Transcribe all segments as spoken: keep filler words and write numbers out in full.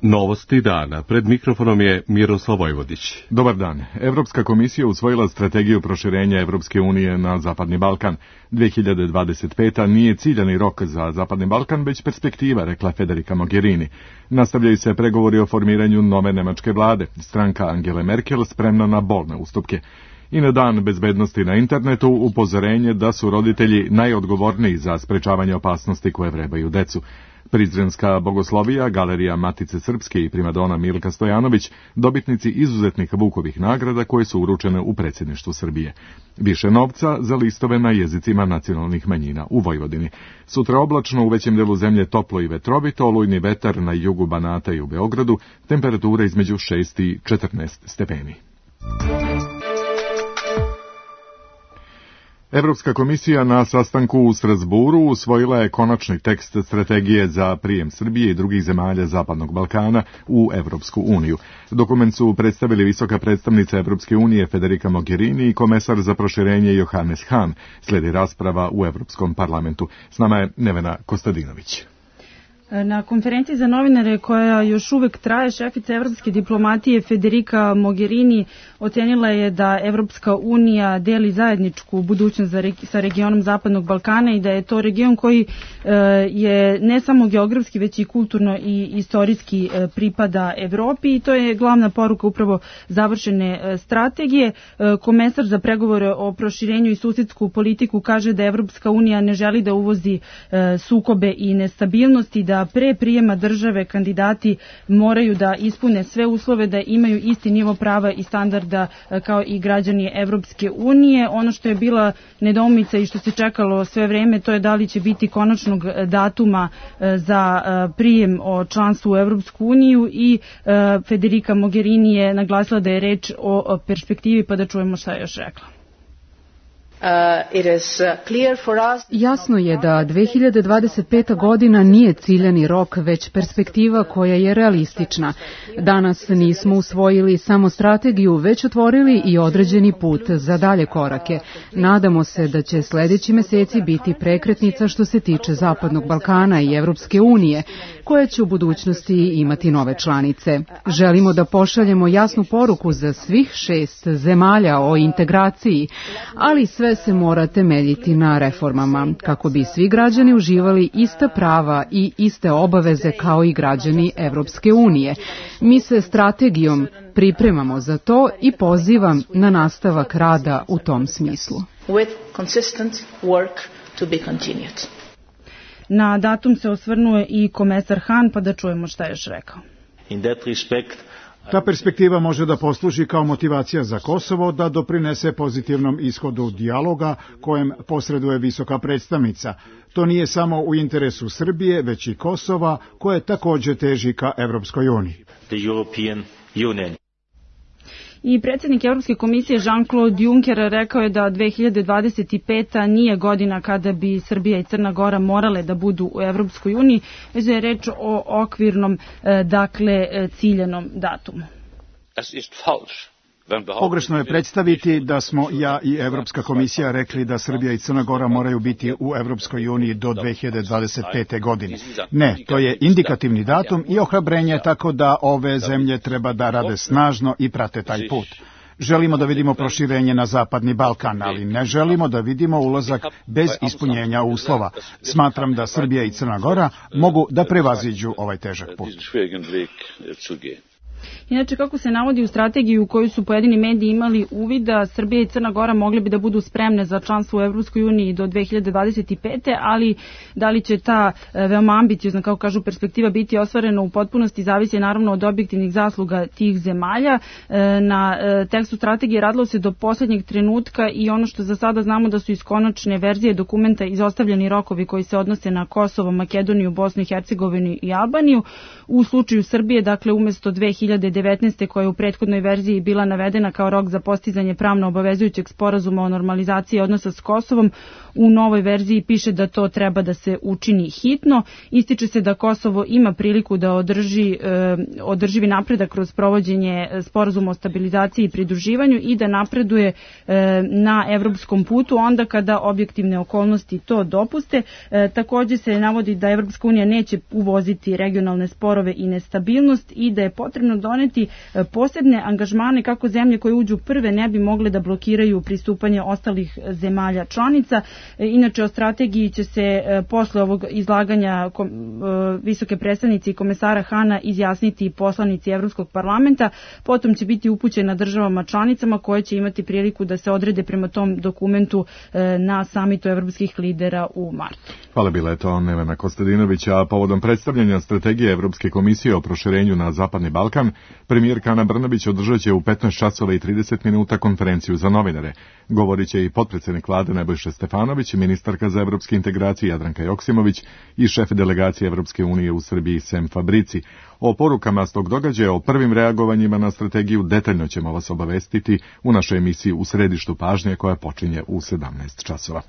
Novosti dana. Pred mikrofonom je Miroslav Vojvodić. Dobar dan. Evropska komisija usvojila strategiju proširenja Evropske unije na Zapadni Balkan. dve hiljade dvadeset peta. nije ciljani rok za Zapadni Balkan, već perspektiva, rekla Federica Mogherini. Nastavljaju se pregovori o formiranju nove nemačke vlade. Stranka Angele Merkel spremna na bolne ustupke. I na dan bezbednosti na internetu upozorenje da su roditelji najodgovorniji za sprečavanje opasnosti koje vrebaju decu. Prizrenska bogoslovija, Galerija Matice Srpske i primadona Milka Stojanović, dobitnici izuzetnih Vukovih nagrada koje su uručene u predsjedništvu Srbije. Više novca za listove na jezicima nacionalnih manjina u Vojvodini. Sutra oblačno, u većem delu zemlje toplo i vetrovito, olujni vetar na jugu Banata i u Beogradu, temperatura između šest i četrnaest stepeni. Evropska komisija na sastanku u Strasburu usvojila je konačni tekst strategije za prijem Srbije i drugih zemalja Zapadnog Balkana u Evropsku uniju. Dokument su predstavili visoka predstavnica Evropske unije Federica Mogherini i komesar za proširenje Johannes Hahn. Slijedi rasprava u Evropskom parlamentu. S nama je Nevena Kostadinović. Na konferenciji za novinare koja još uvek traje, šefica evropske diplomatije Federica Mogherini ocenila je da Evropska unija deli zajedničku budućnost sa regionom Zapadnog Balkana i da je to region koji je ne samo geografski, već i kulturno i istorijski pripada Evropi i to je glavna poruka upravo završene strategije. Komesar za pregovore o proširenju i susjedsku politiku kaže da Evropska unija ne želi da uvozi sukobe i nestabilnosti, da pre prijema države kandidati moraju da ispune sve uslove, da imaju isti nivo prava i standarda kao i građani Evropske unije. Ono što je bila nedoumica i što se čekalo sve vreme, to je da li će biti konačnog datuma za prijem o članstvu u Evropsku uniju i Federica Mogherini je naglasila da je reč o perspektivi, pa da čujemo šta je još rekla. Jasno je da dve hiljade dvadeset peta. godina nije ciljani rok, već perspektiva koja je realistična. Danas nismo usvojili samo strategiju, već otvorili i određeni put za dalje korake. Nadamo se da će sljedeći meseci biti prekretnica što se tiče Zapadnog Balkana i Evropske unije, koja će u budućnosti imati nove članice. Želimo da pošaljemo jasnu poruku za svih šest zemalja o integraciji, ali sve se mora temeljiti na reformama, kako bi svi građani uživali ista prava i iste obaveze kao i građani Evropske unije. Mi se strategijom pripremamo za to i pozivam na nastavak rada u tom smislu. Na datum se osvrnuo i komesar Hahn, pa da čujemo šta je još rekao. Ta perspektiva može da posluži kao motivacija za Kosovo da doprinese pozitivnom ishodu dijaloga kojem posreduje visoka predstavnica. To nije samo u interesu Srbije, već i Kosova, koje također teži ka Evropskoj uniji. I predsjednik Evropske komisije Jean-Claude Juncker rekao je da dve hiljade dvadeset peta. nije godina kada bi Srbija i Crna Gora morale da budu u Evropskoj uniji, već da je reč o okvirnom, dakle, ciljanom datumu. Pogrešno je predstaviti da smo ja i Evropska komisija rekli da Srbija i Crna Gora moraju biti u Evropskoj uniji do dve hiljade dvadeset pete. godine. Ne, to je indikativni datum i ohrabrenje, tako da ove zemlje treba da rade snažno i prate taj put. Želimo da vidimo proširenje na Zapadni Balkan, ali ne želimo da vidimo ulazak bez ispunjenja uslova. Smatram da Srbija i Crna Gora mogu da prevaziđu ovaj težak put. Inače, kako se navodi u strategiji u kojoj su pojedini mediji imali uvida, Srbija i Crna Gora mogli bi da budu spremne za članstvo u Evropskoj uniji do dve hiljade dvadeset pete. ali da li će ta veoma ambiciozna, kako kažu, perspektiva biti ostvarena u potpunosti zavisi naravno od objektivnih zasluga tih zemalja. Na tekstu strategije radilo se do posljednjeg trenutka i ono što za sada znamo da su iz konačne verzije dokumenta izostavljeni rokovi koji se odnose na Kosovo, Makedoniju, Bosnu i Hercegovinu i Albaniju. U slučaju Srbije, dakle, umjesto dve hiljade hiljade devetnaeste koja je u prethodnoj verziji bila navedena kao rok za postizanje pravno obavezujućeg sporazuma o normalizaciji odnosa s Kosovom, u novoj verziji piše da to treba da se učini hitno. Ističe se da Kosovo ima priliku da održi e, održivi napredak kroz provođenje sporazuma o stabilizaciji i pridruživanju i da napreduje e, na evropskom putu onda kada objektivne okolnosti to dopuste. E, takođe se navodi da Evropska unija neće uvoziti regionalne sporove i nestabilnost i da je potrebno doneti e, posebne angažmane kako zemlje koje uđu prve ne bi mogle da blokiraju pristupanje ostalih zemalja članica. E, inače o strategiji će se e, posle ovog izlaganja kom, e, visoke predstavnice i komesara Hana izjasniti poslanici Evropskog parlamenta, potom će biti upućena državama članicama koje će imati priliku da se odrede prema tom dokumentu e, na samitu evropskih lidera u martu. Hvala, bila je to Nevena Kostadinović, a povodom predstavljanja strategije Evropske komisije o proširenju na Zapadni Balkan, premijerka Ana Brnabić održat će u petnaest časova i trideset minuta konferenciju za novinare. Govorit će i potpredsednik vlade Nebojša Stefanović, ministarka za evropske integracije Jadranka Joksimović i šef delegacije Evropske unije u Srbiji Sem Fabrici. O porukama s tog događaja, o prvim reagovanjima na strategiju detaljno ćemo vas obavestiti u našoj emisiji U središtu pažnje koja počinje u sedamnaest časova.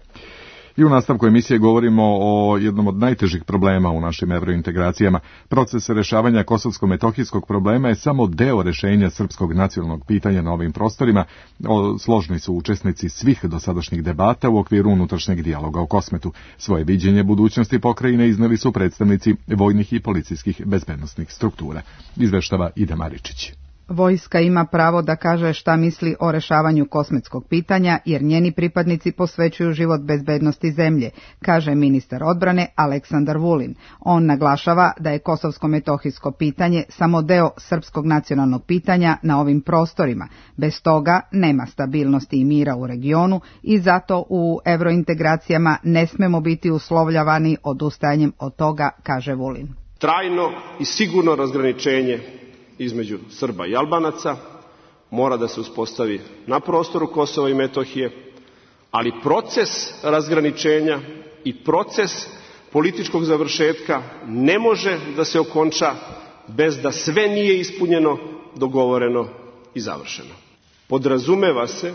I u nastavku emisije govorimo o jednom od najtežih problema u našim evrointegracijama. Proces rešavanja kosovsko-metohijskog problema je samo deo rešenja srpskog nacionalnog pitanja na ovim prostorima. O, složni su učesnici svih dosadašnjih debata u okviru unutrašnjeg dijaloga o Kosmetu. Svoje viđenje budućnosti pokrajine izneli su predstavnici vojnih i policijskih bezbednosnih struktura. Izveštava Ida Maričić. Vojska ima pravo da kaže šta misli o rešavanju kosmetskog pitanja, jer njeni pripadnici posvećuju život bezbednosti zemlje, kaže ministar odbrane Aleksandar Vulin. On naglašava da je kosovsko-metohijsko pitanje samo deo srpskog nacionalnog pitanja na ovim prostorima. Bez toga nema stabilnosti i mira u regionu i zato u evrointegracijama ne smemo biti uslovljavani odustajanjem od toga, kaže Vulin. Trajno i sigurno razgraničenje između Srba i Albanaca mora da se uspostavi na prostoru Kosova i Metohije, ali proces razgraničenja i proces političkog završetka ne može da se okonča bez da sve nije ispunjeno, dogovoreno i završeno. Podrazumeva se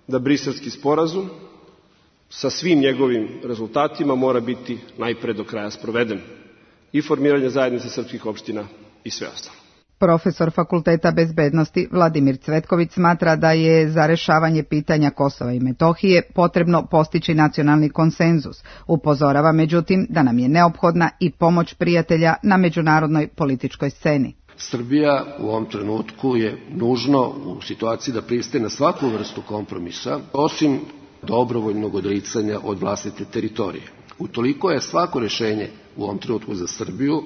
da Briselski sporazum sa svim njegovim rezultatima mora biti najpre do kraja sproveden, i formiranje zajednice srpskih opština i sve ostalo. Profesor Fakulteta bezbednosti Vladimir Cvetković smatra da je za rešavanje pitanja Kosova i Metohije potrebno postići nacionalni konsenzus. Upozorava međutim da nam je neophodna i pomoć prijatelja na međunarodnoj političkoj sceni. Srbija u ovom trenutku je nužno u situaciji da pristaje na svaku vrstu kompromisa, osim dobrovoljnog odricanja od vlastite teritorije. Utoliko je svako rešenje u ovom trenutku za Srbiju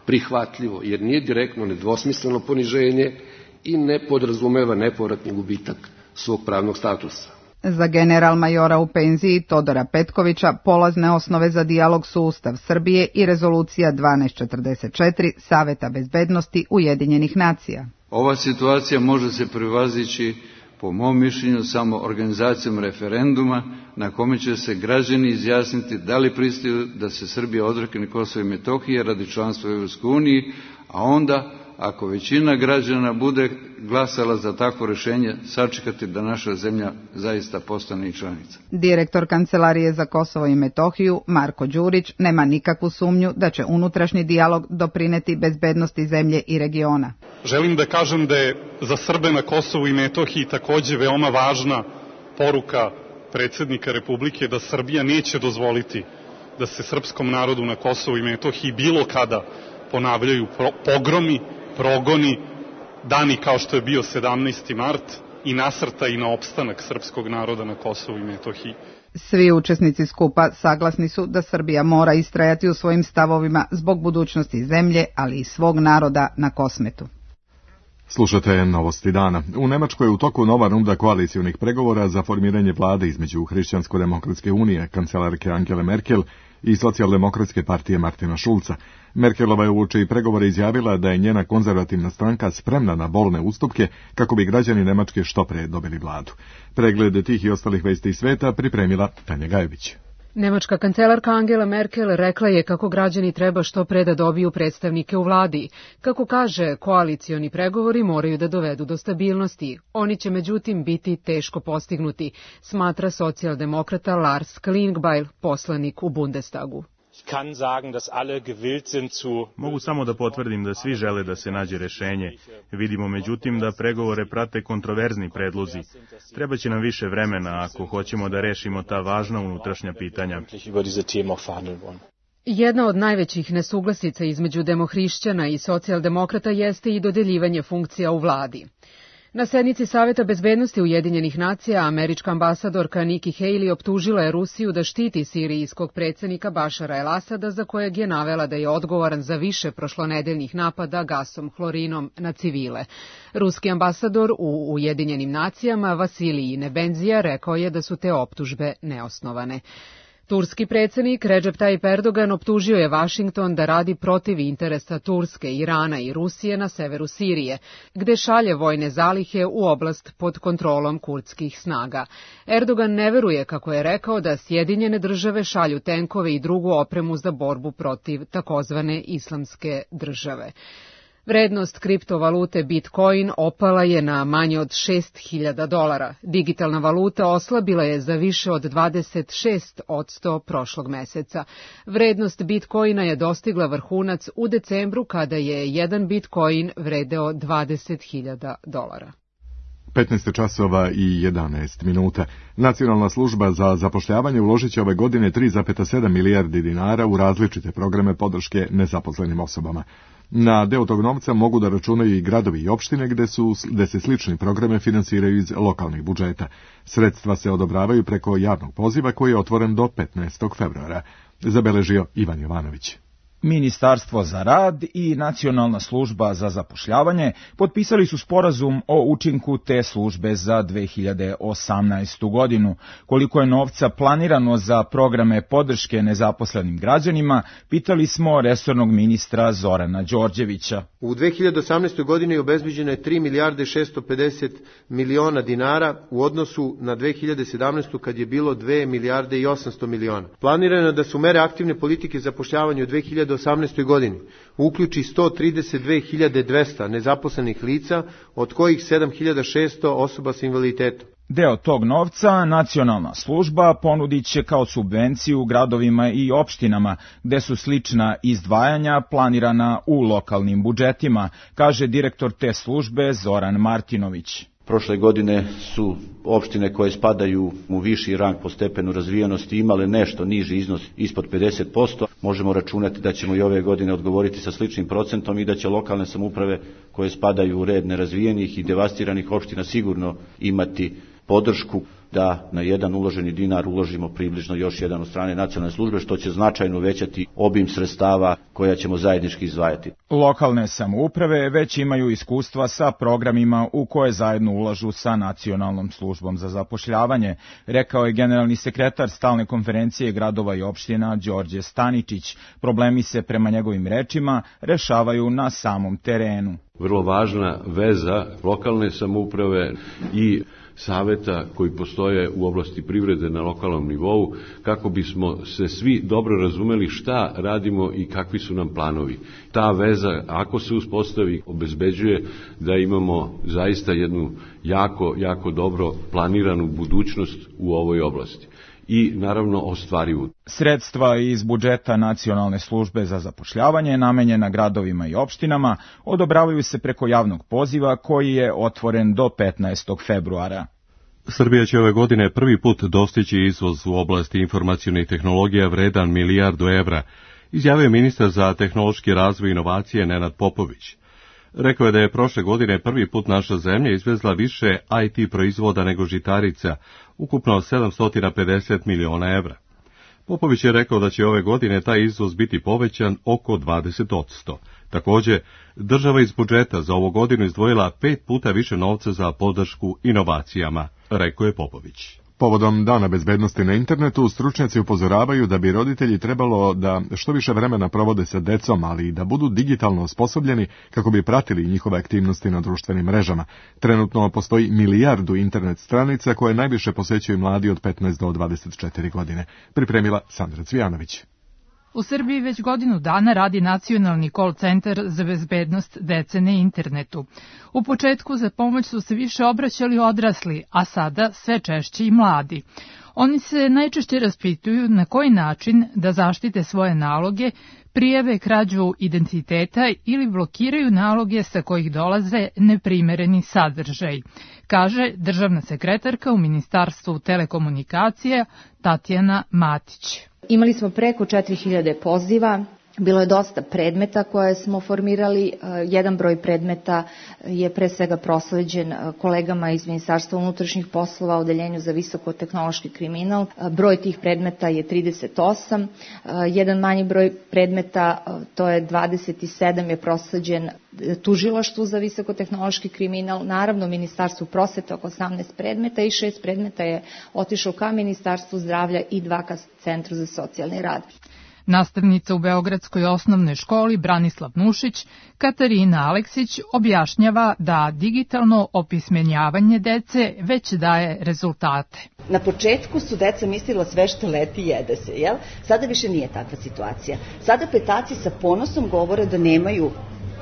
prihvatljivo, jer nije direktno nedvosmisleno poniženje i ne podrazumeva nepovratni gubitak svog pravnog statusa. Za general majora u penziji Todora Petkovića polazne osnove za dijalog su Ustav Srbije i rezolucija dvanaest četrdeset četiri Saveta bezbednosti Ujedinjenih nacija. Ova situacija može se prevazići, po mom mišljenju, samo organizacijom referenduma na kome će se građani izjasniti da li pristaju da se Srbija odrekne Kosova i Metohije radi članstva u Evropskoj uniji, a onda, ako većina građana bude glasala za takvo rešenje, sačekati da naša zemlja zaista postane i članica. Direktor Kancelarije za Kosovo i Metohiju Marko Đurić nema nikakvu sumnju da će unutrašnji dijalog doprineti bezbednosti zemlje i regiona. Želim da kažem da je za Srbe na Kosovu i Metohiji takođe veoma važna poruka predsjednika Republike da Srbija neće dozvoliti da se srpskom narodu na Kosovu i Metohiji bilo kada ponavljaju pogromi, progoni, dani kao što je bio sedamnaesti mart i nasrta i na opstanak srpskog naroda na Kosovu i Metohiji. Svi učesnici skupa saglasni su da Srbija mora istrajati u svojim stavovima zbog budućnosti zemlje, ali i svog naroda na Kosmetu. Slušate novosti dana. U Nemačkoj je u toku nova runda koalicionih pregovora za formiranje vlade između Hrišćansko-demokratske unije, kancelarke Angele Merkel i socijaldemokratske partije Martina Šulca. Merkelova je uoči pregovora izjavila da je njena konzervativna stranka spremna na bolne ustupke kako bi građani Nemačke što pre dobili vladu. Pregled tih i ostalih vesti iz sveta pripremila Tanja Gajević. Nemačka kancelarka Angela Merkel rekla je kako građani treba što pre da dobiju predstavnike u vladi. Kako kaže, koalicioni pregovori moraju da dovedu do stabilnosti. Oni će međutim biti teško postignuti, smatra socijaldemokrata Lars Klingbeil, poslanik u Bundestagu. Mogu samo da potvrdim da svi žele da se nađe rešenje. Vidimo međutim da pregovore prate kontroverzni predlozi. Trebaće nam više vremena ako hoćemo da rešimo ta važna unutrašnja pitanja. Jedna od najvećih nesuglasica između demohrišćana i socijaldemokrata jeste i dodeljivanje funkcija u vladi. Na sednici Saveta bezbednosti Ujedinjenih nacija američka ambasadorka Nikki Haley optužila je Rusiju da štiti sirijskog predsjednika Bašara el-Asada, za kojeg je navela da je odgovoran za više prošlonedeljnih napada gasom hlorinom na civile. Ruski ambasador u Ujedinjenim nacijama Vasilij Nebenzija rekao je da su te optužbe neosnovane. Turski predsjednik Recep Tayyip Erdogan optužio je Vašington da radi protiv interesa Turske, Irana i Rusije na severu Sirije, gde šalje vojne zalihe u oblast pod kontrolom kurdskih snaga. Erdogan ne veruje, kako je rekao, da Sjedinjene države šalju tenkove i drugu opremu za borbu protiv takozvane islamske države. Vrednost kriptovalute Bitcoin opala je na manje od šest hiljada dolara. Digitalna valuta oslabila je za više od dvadeset šest posto prošlog meseca. Vrednost Bitcoina je dostigla vrhunac u decembru kada je jedan Bitcoin vredeo dvadeset hiljada dolara. petnaest časova i jedanaest minuta. Nacionalna služba za zapošljavanje uložit će ove godine tri zarez sedam milijardi dinara u različite programe podrške nezaposlenim osobama. Na deo tog novca mogu da računaju i gradovi i opštine gde, su, gde se slični programe finansiraju iz lokalnih budžeta. Sredstva se odobravaju preko javnog poziva koji je otvoren do petnaestog februara. Zabeležio Ivan Jovanović. Ministarstvo za rad i Nacionalna služba za zapošljavanje potpisali su sporazum o učinku te službe za dve hiljade osamnaestu godinu. Koliko je novca planirano za programe podrške nezaposlenim građanima, pitali smo resornog ministra Zorana Đorđevića. U dve hiljade osamnaestoj godini obezbeđeno je tri milijarde šesto pedeset miliona dinara u odnosu na dve hiljade sedamnaestu. kad je bilo dve milijarde i osamsto miliona. Planirano je da su mere aktivne politike zapošljavanja u dve hiljade osamnaestoj godini uključi sto trideset dve hiljade dvesta nezaposlenih lica, od kojih sedam hiljada šesto osoba sa invaliditetom. Deo tog novca nacionalna služba ponudit će kao subvenciju gradovima i opštinama, gde su slična izdvajanja planirana u lokalnim budžetima, kaže direktor te službe Zoran Martinović. Prošle godine su opštine koje spadaju u viši rang po stepenu razvijenosti imale nešto niži iznos ispod pedeset posto. Možemo računati da ćemo i ove godine odgovoriti sa sličnim procentom i da će lokalne samouprave koje spadaju u red nerazvijenih i devastiranih opština sigurno imati podršku da na jedan uloženi dinar uložimo približno još jedan od strane nacionalne službe, što će značajno uvećati obim sredstava koja ćemo zajednički izdvajati. Lokalne samouprave već imaju iskustva sa programima u koje zajedno ulažu sa Nacionalnom službom za zapošljavanje, rekao je generalni sekretar Stalne konferencije gradova i opština Đorđe Staničić. Problemi se, prema njegovim rečima, rešavaju na samom terenu. Vrlo važna veza lokalne samouprave i saveta koji postoje u oblasti privrede na lokalnom nivou, kako bismo se svi dobro razumeli šta radimo i kakvi su nam planovi. Ta veza, ako se uspostavi, obezbeđuje da imamo zaista jednu jako, jako dobro planiranu budućnost u ovoj oblasti. I naravno ostvarivu. Sredstva iz budžeta Nacionalne službe za zapošljavanje namenjena gradovima i opštinama odobravaju se preko javnog poziva koji je otvoren do petnaestog februara. Srbija će ove godine prvi put dostići izvoz u oblasti informacionih tehnologija vredan milijardu evra, izjavio ministar za tehnološki razvoj i inovacije Nenad Popović. Rekao je da je prošle godine prvi put naša zemlja izvezla više I T proizvoda nego žitarica, ukupno sedamsto pedeset miliona evra. Popović je rekao da će ove godine taj izvoz biti povećan oko dvadeset posto. Također, država iz budžeta za ovu godinu izdvojila pet puta više novca za podršku inovacijama, rekao je Popović. Povodom Dana bezbednosti na internetu, stručnjaci upozoravaju da bi roditelji trebalo da što više vremena provode sa decom, ali i da budu digitalno osposobljeni kako bi pratili njihove aktivnosti na društvenim mrežama. Trenutno postoji milijardu internet stranica koje najviše posećuju mladi od petnaest do dvadeset četiri godine. Pripremila Sandra Cvijanović. U Srbiji već godinu dana radi nacionalni call centar za bezbednost dece na internetu. U početku za pomoć su se više obraćali odrasli, a sada sve češće i mladi. Oni se najčešće raspituju na koji način da zaštite svoje naloge, prijave krađu identiteta ili blokiraju naloge sa kojih dolaze neprimereni sadržaj, kaže državna sekretarka u Ministarstvu telekomunikacija Tatjana Matić. Imali smo preko četiri hiljade poziva, bilo je dosta predmeta koje smo formirali. Jedan broj predmeta je pre svega prosleđen kolegama iz Ministarstva unutrašnjih poslova, Odeljenju za visokotehnološki kriminal. Broj tih predmeta je trideset osam. Jedan manji broj predmeta, to je dvadeset sedam, je prosleđen Tužilaštvu za visokotehnološki kriminal, naravno Ministarstvu prosvete oko osamnaest predmeta i šest predmeta je otišao ka Ministarstvu zdravlja i dva ka Centru za socijalni rad. Nastavnica u Beogradskoj osnovnoj školi Branislav Nušić, Katarina Aleksić, objašnjava da digitalno opismenjavanje dece već daje rezultate. Na početku su deca mislila sve što leti jede se, jel? Sada više nije takva situacija. Sada petaci sa ponosom govore da nemaju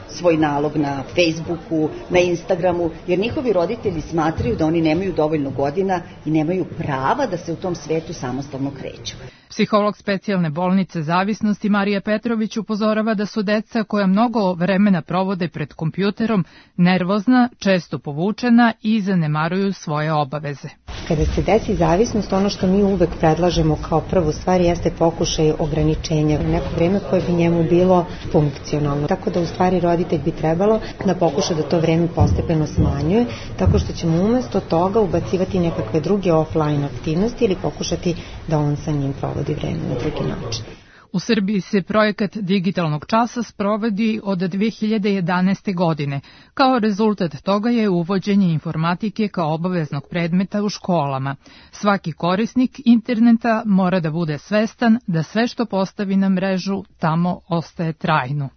svoj nalog na Facebooku, na Instagramu, jer njihovi roditelji smatraju da oni nemaju dovoljno godina i nemaju prava da se u tom svetu samostalno kreću. Psiholog specijalne bolnice zavisnosti Marija Petrović upozorava da su deca koja mnogo vremena provode pred kompjuterom nervozna, često povučena i zanemaruju svoje obaveze. Kada se desi zavisnost, ono što mi uvek predlažemo kao prvu stvar jeste pokušaj ograničenja u neko vreme koje bi njemu bilo funkcionalno. Tako da u stvari roditelj bi trebalo da pokuša da to vreme postepeno smanjuje, tako što ćemo umesto toga ubacivati nekakve druge offline aktivnosti ili pokušati da on sa njim provodi vreme na drugi način. U Srbiji se projekat digitalnog časa sprovodi od dve hiljade jedanaeste. godine. Kao rezultat toga je uvođenje informatike kao obaveznog predmeta u školama. Svaki korisnik interneta mora da bude svestan da sve što postavi na mrežu tamo ostaje trajno.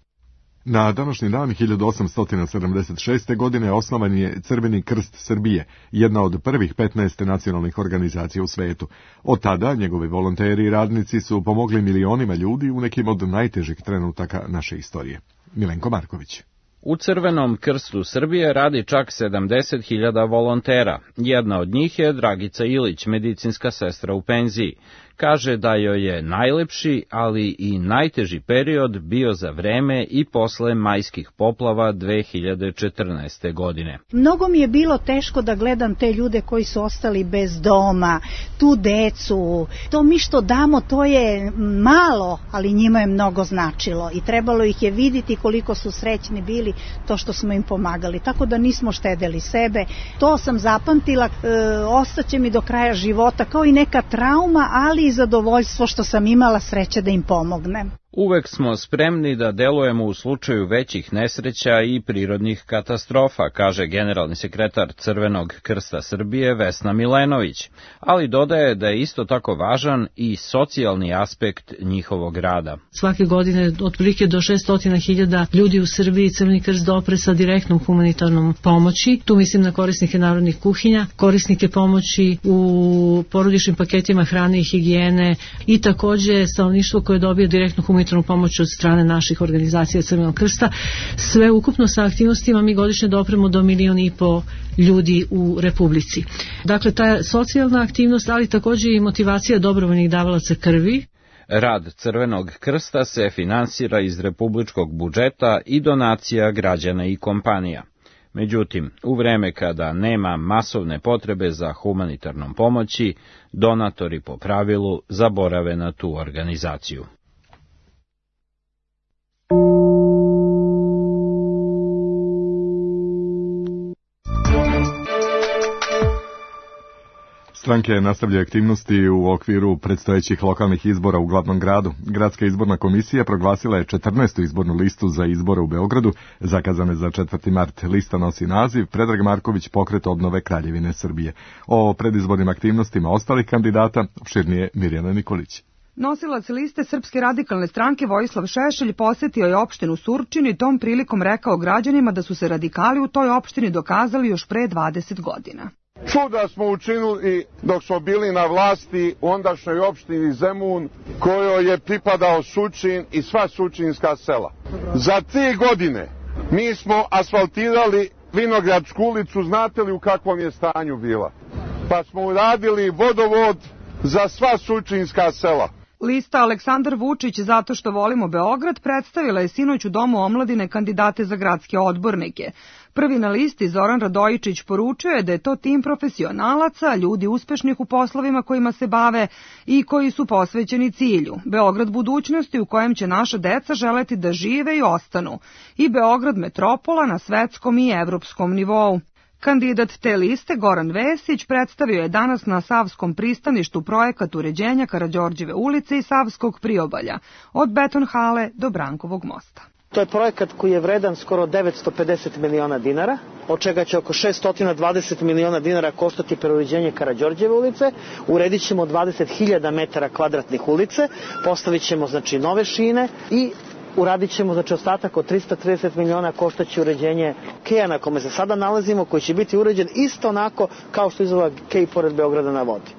Na današnji dan hiljadu osamsto sedamdeset šeste. godine osnovan je Crveni krst Srbije, jedna od prvih petnaest nacionalnih organizacija u svetu. Od tada njegovi volonteri i radnici su pomogli milionima ljudi u nekim od najtežih trenutaka naše istorije. Milenko Marković. U Crvenom krstu Srbije radi čak sedamdeset hiljada volontera. Jedna od njih je Dragica Ilić, medicinska sestra u penziji. Kaže da joj je najlepši, ali i najteži period bio za vreme i posle majskih poplava dve hiljade četrnaeste. godine. Mnogo mi je bilo teško da gledam te ljude koji su ostali bez doma, tu decu. To mi što damo, to je malo, ali njima je mnogo značilo i trebalo ih je vidjeti koliko su srećni bili to što smo im pomagali. Tako da nismo štedeli sebe. To sam zapamtila, e, ostaće mi do kraja života kao i neka trauma, ali i zadovoljstvo što sam imala sreće da im pomognem. Uvek smo spremni da delujemo u slučaju većih nesreća i prirodnih katastrofa, kaže generalni sekretar Crvenog krsta Srbije Vesna Milenović, ali dodaje da je isto tako važan i socijalni aspekt njihovog rada. Svake godine otprilike do šesto hiljada ljudi u Srbiji Crveni krst dopre sa direktnom humanitarnom pomoći. Tu mislim na korisnike narodnih kuhinja, korisnike pomoći u porodičnim paketima hrane i higijene i takođe stanovništvo koje dobije direktnu humanitarnu pomoć od strane naših organizacija Crvenog krsta. Sve ukupno sa aktivnostima mi godišnje dopremo do milion i po ljudi u Republici. Dakle, ta socijalna aktivnost, ali takođe i motivacija dobrovoljnih davalaca krvi. Rad Crvenog krsta se finansira iz republičkog budžeta i donacija građana i kompanija. Međutim, u vreme kada nema masovne potrebe za humanitarnom pomoći, donatori po pravilu zaborave na tu organizaciju. Stranke nastavljaju aktivnosti u okviru predstojećih lokalnih izbora u glavnom gradu. Gradska izborna komisija proglasila je četrnaestu izbornu listu za izbore u Beogradu, zakazane za četvrti mart. Lista nosi naziv Predrag Marković, pokret obnove Kraljevine Srbije. O predizbornim aktivnostima ostalih kandidata opširnije Mirjana Nikolić. Nosilac liste Srpske radikalne stranke Vojislav Šešelj posetio je opštinu Surčin i tom prilikom rekao građanima da su se radikali u toj opštini dokazali još pre dvadeset godina. Čuda smo učinili dok smo bili na vlasti u ondašnjoj opštini Zemun, kojoj je pripadao Surčin i sva surčinska sela. Za tri godine mi smo asfaltirali Vinogradsku ulicu, znate li u kakvom je stanju bila? Pa smo uradili vodovod za sva surčinska sela. Lista Aleksandar Vučić zato što volimo Beograd predstavila je sinoć u Domu omladine kandidate za gradske odbornike. Prvi na listi Zoran Radojičić poručio je da je to tim profesionalaca, ljudi uspešnih u poslovima kojima se bave i koji su posvećeni cilju. Beograd budućnosti u kojem će naša deca želeti da žive i ostanu. I Beograd metropola na svetskom i evropskom nivou. Kandidat te liste, Goran Vesić, predstavio je danas na Savskom pristaništu projekat uređenja Karađorđeve ulice i Savskog priobalja, od Beton hale do Brankovog mosta. To je projekat koji je vredan skoro devetsto pedeset miliona dinara, od čega će oko šesto dvadeset miliona dinara koštati preuređenje Karađorđeve ulice, uredit ćemo dvadeset hiljada metara kvadratnih ulice, postavit ćemo znači nove šine i uradit ćemo znači ostatak od trista trideset miliona koštaće uređenje keja na kome se sada nalazimo, koji će biti uređen isto onako kao što izgleda kej pored Beograda na vodi.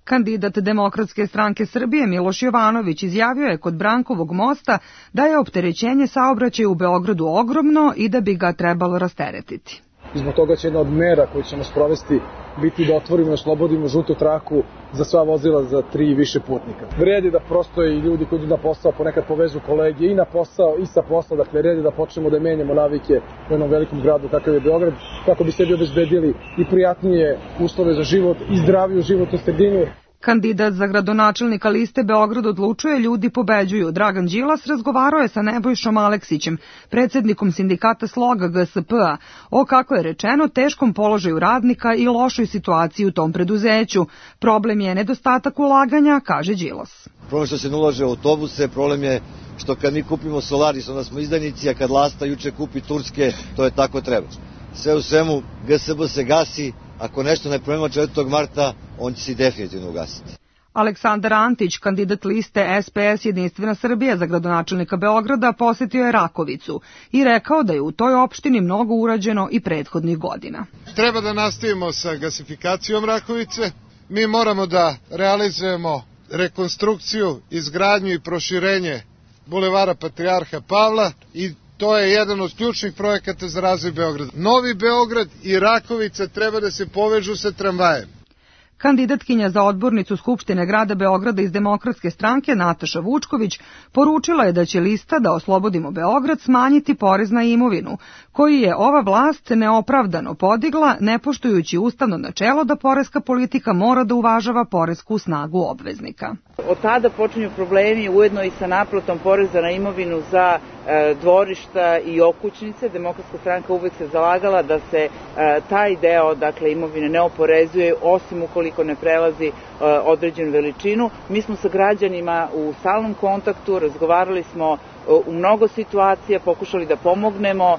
Kandidat Demokratske stranke Srbije Miloš Jovanović izjavio je kod Brankovog mosta da je opterećenje saobraćaja u Beogradu ogromno i da bi ga trebalo rasteretiti. I zbog toga će jedna od mera koju ćemo sprovesti biti da otvorimo i oslobodimo žutu traku za sva vozila za tri i više putnika. Vredi da prosto i ljudi koji idu na posao ponekad povežu kolege i na posao i sa posla, dakle vredi da počnemo da menjamo navike u jednom velikom gradu kakav je Beograd, kako bi sebi obezbedili i prijatnije uslove za život i zdraviju životnu sredinu. Kandidat za gradonačelnika liste Beograd odlučuje, ljudi pobeđuju. Dragan Đilas razgovarao je sa Nebojšom Aleksićem, predsjednikom sindikata Sloga G S P-a, o, kako je rečeno, teškom položaju radnika i lošoj situaciji u tom preduzeću. Problem je nedostatak ulaganja, kaže Đilas. Problem što se ne ulaže u autobuse, problem je što kad mi kupimo Solaris, onda smo izdajnici, a kad Lasta juče kupi Turske, to je tako treba. Sve u svemu, G S B se gasi. Ako nešto ne promenimo četvrtog marta, on će se definitivno ugasiti. Aleksandar Antić, kandidat liste S P S Jedinstvena Srbija za gradonačelnika Beograda, posetio je Rakovicu i rekao da je u toj opštini mnogo urađeno i prethodnih godina. Treba da nastavimo sa gasifikacijom Rakovice. Mi moramo da realizujemo rekonstrukciju, izgradnju i proširenje bulevara Patrijarha Pavla i to je jedan od ključnih projekata za razvoj Beograda. Novi Beograd i Rakovica treba da se povežu sa tramvajem. Kandidatkinja za odbornicu Skupštine grada Beograda iz Demokratske stranke Nataša Vučković poručila je da će lista Da oslobodimo Beograd smanjiti porez na imovinu, koji je ova vlast neopravdano podigla, ne poštujući ustavno načelo da poreska politika mora da uvažava poresku snagu obveznika. Od tada počinju problemi ujedno i sa naplatom poreza na imovinu za e, dvorišta i okućnice. Demokratska stranka uvek se zalagala da se e, taj deo, dakle, imovine ne oporezuje, osim ukoliko ne prelazi e, određenu veličinu. Mi smo sa građanima u stalnom kontaktu, razgovarali smo e, u mnogo situacija, pokušali da pomognemo.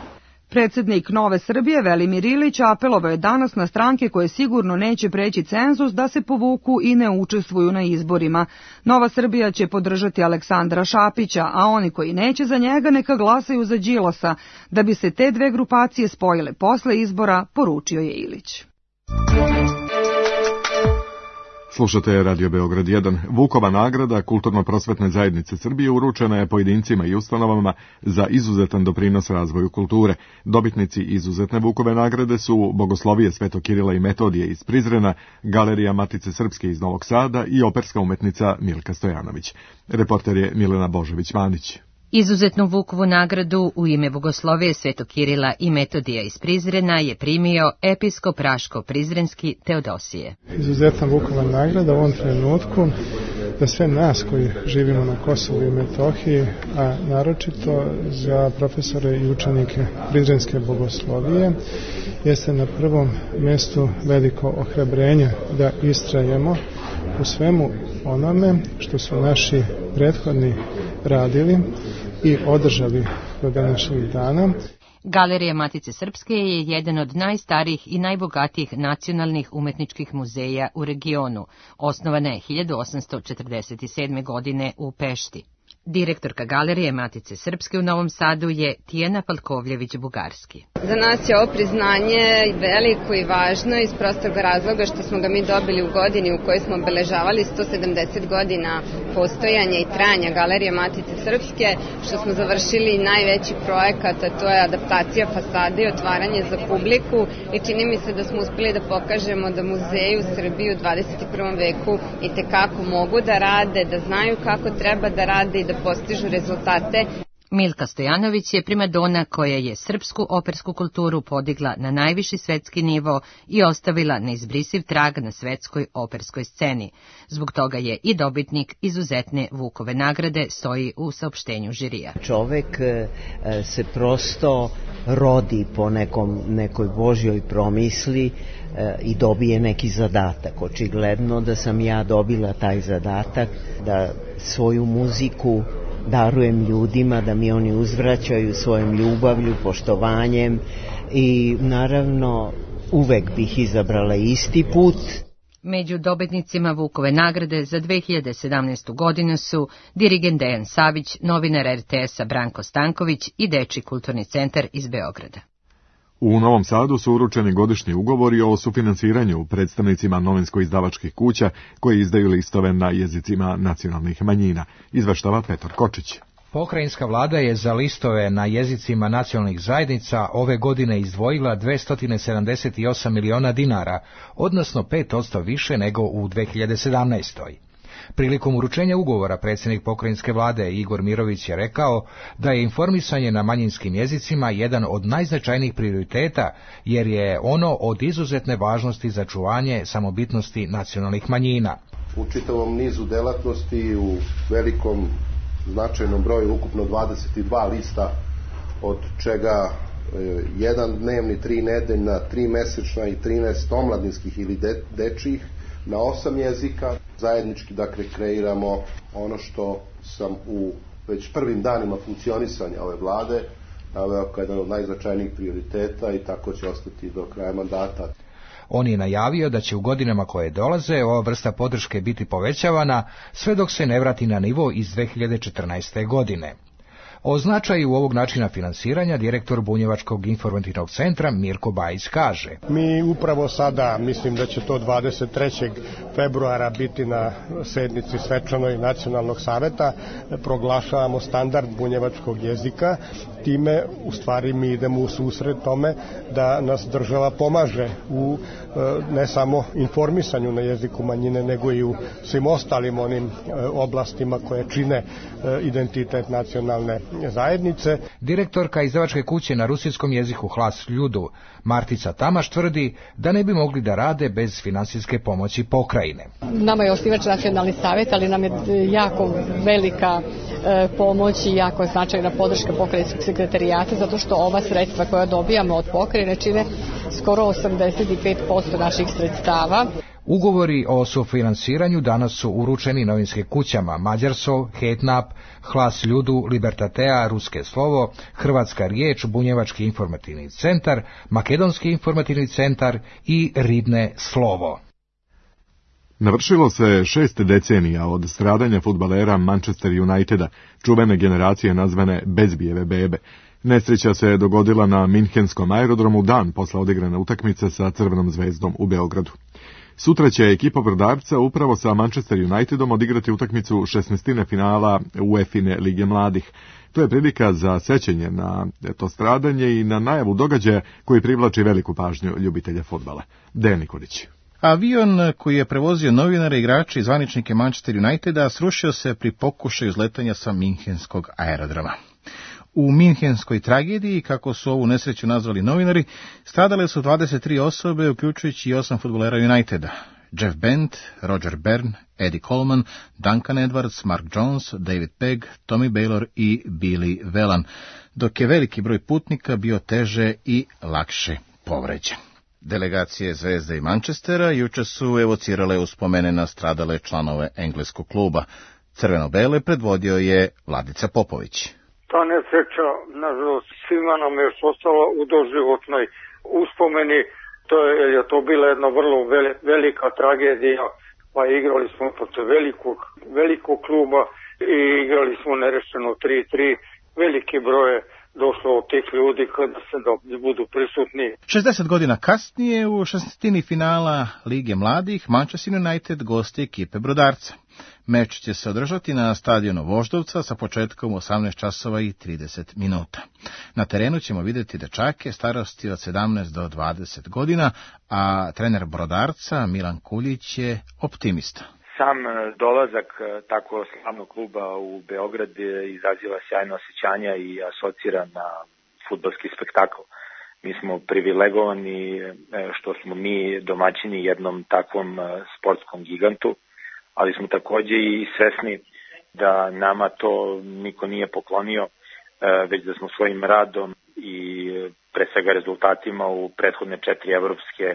Predsjednik Nove Srbije Velimir Ilić apelovao je danas na stranke koje sigurno neće preći cenzus da se povuku i ne učestvuju na izborima. Nova Srbija će podržati Aleksandra Šapića, a oni koji neće za njega neka glasaju za Đilasa, da bi se te dve grupacije spojile posle izbora, poručio je Ilić. Slušate Radio Beograd jedan. Vukova nagrada Kulturno-prosvetne zajednice Srbije uručena je pojedincima i ustanovama za izuzetan doprinos razvoju kulture. Dobitnici izuzetne Vukove nagrade su Bogoslovije Svetog Kirila i Metodije iz Prizrena, Galerija Matice Srpske iz Novog Sada i operska umetnica Milka Stojanović. Reporter je Milena Božović-Manić. Izuzetnu Vukovu nagradu u ime Bogoslovije Svetog Kirila i Metodija iz Prizrena je primio episkop Raško-Prizrenski Teodosije. Izuzetna Vukova nagrada u ovom trenutku za sve nas koji živimo na Kosovu i Metohiji, a naročito za profesore i učenike Prizrenske bogoslovije, jeste na prvom mjestu veliko ohrabrenje da istrajemo u svemu onome što su naši prethodni radili i održali do današnjih dana. Galerija Matice Srpske je jedan od najstarijih i najbogatijih nacionalnih umetničkih muzeja u regionu. Osnovana je hiljadu osamsto četrdeset sedme. godine u Pešti. Direktorka Galerije Matice Srpske u Novom Sadu je Tijana Palkovljević-Bugarski. Za nas je ovo priznanje veliko i važno iz prostog razloga što smo ga mi dobili u godini u kojoj smo obeležavali sto sedamdeset godina postojanja i trajanja Galerije Matice Srpske, što smo završili najveći projekat, a to je adaptacija fasade i otvaranje za publiku, i čini mi se da smo uspeli da pokažemo da muzeji u Srbiji u dvadeset prvom veku i tekako mogu da rade, da znaju kako treba da rade i da postižu rezultate. Milka Stojanović je primadona koja je srpsku opersku kulturu podigla na najviši svetski nivo i ostavila neizbrisiv trag na svetskoj operskoj sceni. Zbog toga je i dobitnik izuzetne Vukove nagrade, stoji u saopštenju žirija. Čovek se prosto rodi po nekom, nekoj Božjoj promisli i dobije neki zadatak. Očigledno da sam ja dobila taj zadatak da svoju muziku darujem ljudima, da mi oni uzvraćaju svojom ljubavlju, poštovanjem, i naravno uvek bih izabrala isti put. Među dobitnicima Vukove nagrade za dve hiljade sedamnaestu. godinu su dirigent Dejan Savić, novinar er te esa Branko Stanković i Dečiji kulturni centar iz Beograda. U Novom Sadu su uručeni godišnji ugovori o sufinansiranju predstavnicima novinsko-izdavačkih kuća koji izdaju listove na jezicima nacionalnih manjina, izveštava Petar Kočić. Pokrajinska vlada je za listove na jezicima nacionalnih zajednica ove godine izdvojila dvesta sedamdeset osam miliona dinara, odnosno pet posto više nego u dve hiljade sedamnaestoj. Prilikom uručenja ugovora predsjednik pokrajinske vlade Igor Mirović je rekao da je informisanje na manjinskim jezicima jedan od najznačajnijih prioriteta, jer je ono od izuzetne važnosti za čuvanje samobitnosti nacionalnih manjina. U čitavom nizu delatnosti, u velikom značajnom broju, ukupno dvadeset dva lista, od čega jedan dnevni, tri nedeljna, tri mesečna i trinaest omladinskih ili de, dečijih, na osam jezika. Zajednički, dakle, kreiramo ono što sam u već prvim danima funkcionisanja ove vlade naveo kao jedan od najznačajnijih prioriteta, i tako će ostati do kraja mandata. On je najavio da će u godinama koje dolaze ova vrsta podrške biti povećavana sve dok se ne vrati na nivo iz dve hiljade četrnaeste. godine. O značaju ovog načina finansiranja direktor Bunjevačkog informativnog centra Mirko Bajić kaže: Mi upravo sada, mislim da će to dvadeset trećeg februara biti na sednici svečanoj Nacionalnog saveta, proglašavamo standard bunjevačkog jezika. Time u stvari mi idemo u susret tome da nas država pomaže u ne samo informisanju na jeziku manjine, nego i u svim ostalim onim oblastima koje čine identitet nacionalne zajednice. Direktorka izdavačke kuće na rusijskom jeziku Hlas Ljudu, Martica Tamaš, tvrdi da ne bi mogli da rade bez finansijske pomoći pokrajine. Nama je osnivač Nacionalni savjet, ali nam je jako velika e, pomoć i jako značajna podrška pokrajinskog sekretarijata, zato što ova sredstva koja dobijamo od pokrajine čine skoro osamdeset pet posto naših sredstava. Ugovori o sufinansiranju danas su uručeni novinskim kućama Mađarsov, Hetnap, Hlas Ljudu, Libertatea, Ruske slovo, Hrvatska riječ, Bunjevački informativni centar, Makedonski informativni centar i Ridne slovo. Navršilo se šest decenija od stradanja fudbalera Manchester Uniteda, čuvene generacije nazvane Bezbijeve bebe. Nesreća se dogodila na Minhenskom aerodromu dan posle odigrane utakmice sa Crvenom zvezdom u Beogradu. Sutra će ekipa Brodarca upravo sa Manchester Unitedom odigrati utakmicu šesnaestine finala UEFA Lige mladih. To je prilika za sećanje na to stradanje i na najavu događaja koji privlači veliku pažnju ljubitelja fudbala. Dejan Nikolić. Avion koji je prevozio novinare, igrače i zvaničnike Manchester Uniteda srušio se pri pokušaju izletanja sa Minhenskog aerodroma. U minhenskoj tragediji, kako su ovu nesreću nazvali novinari, stradale su dvadeset tri osobe, uključujući i osam fudbalera Uniteda. Jeff Bent, Roger Byrne, Eddie Coleman, Duncan Edwards, Mark Jones, David Pegg, Tommy Baylor i Billy Whelan, dok je veliki broj putnika bio teže i lakše povređen. Delegacije Zvezde i Manchestera juče su evocirale uspomene na stradale članove engleskog kluba. Crveno-bele predvodio je Vladica Popović. Ta nesreća, nažalost, svima nam je još ostalo u doživotnoj uspomeni. To je, je to bila jedna vrlo velika tragedija, pa igrali smo protiv velikog, velikog kluba i igrali smo nerešeno tri tri. Veliki broj je došlo od tih ljudi kada se da budu prisutni. šezdeset godina kasnije u šestnaestini finala Lige mladih Manchester United gosti ekipe Brodarca. Meč će se održati na stadionu Voždovca sa početkom u osamnaest časova i trideset minuta. Na terenu ćemo vidjeti dečake starosti od sedamnaest do dvadeset godina, a trener Brodarca Milan Kuljić je optimista. Sam dolazak tako slavnog kluba u Beograd izaziva sjajno osjećanja i asocira na fudbalski spektakl. Mi smo privilegovani što smo mi domaćini jednom takvom sportskom gigantu, ali smo takođe i svesni da nama to niko nije poklonio, već da smo svojim radom i pre svega rezultatima u prethodne četiri evropske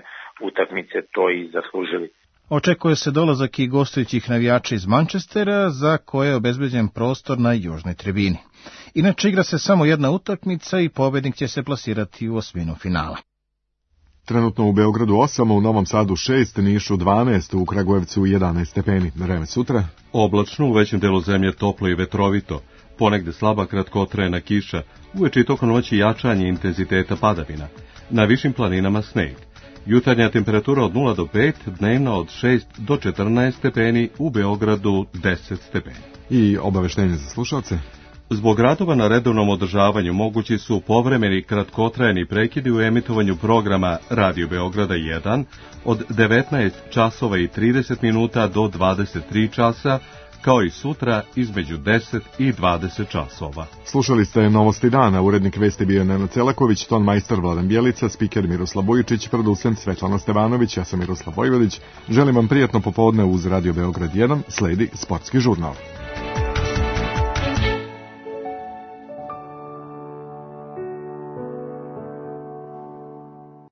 utakmice to i zaslužili. Očekuje se dolazak i gostujućih navijača iz Manchestera, za koje je obezbeđen prostor na južnoj tribini. Inače igra se samo jedna utakmica i pobednik će se plasirati u osminu finala. Trenutno u Beogradu osam, u Novom Sadu šest, Nišu dvanaest, u Kragujevcu jedanaest stepeni. Vreme sutra? Oblačno, u većem delu zemlje toplo i vetrovito. Ponegde slaba kratkotrajna kiša, uveče i tokom noći jačanje intenziteta padavina. Na višim planinama sneg. Jutarnja temperatura od nula do pet, dnevna od šest do četrnaest stepeni, u Beogradu deset stepeni. I obaveštenje za slušalce? Zbog radova na redovnom održavanju mogući su povremeni kratkotrajni prekidi u emitovanju programa Radio Beograda jedan od devetnaest časova i trideset minuta do dvadeset tri časa, kao i sutra između deset i dvadeset časova. Slušali ste Novosti dana, urednik vesti bio Nenad Celaković, ton majstor Vladan Bjelica, spiker Miroslav Bojičić, producent Svetlana Stevanović, ja sam Miroslav Vojvodić. Želim vam prijatno popodne uz Radio Beograd jedan, sledi sportski žurnal.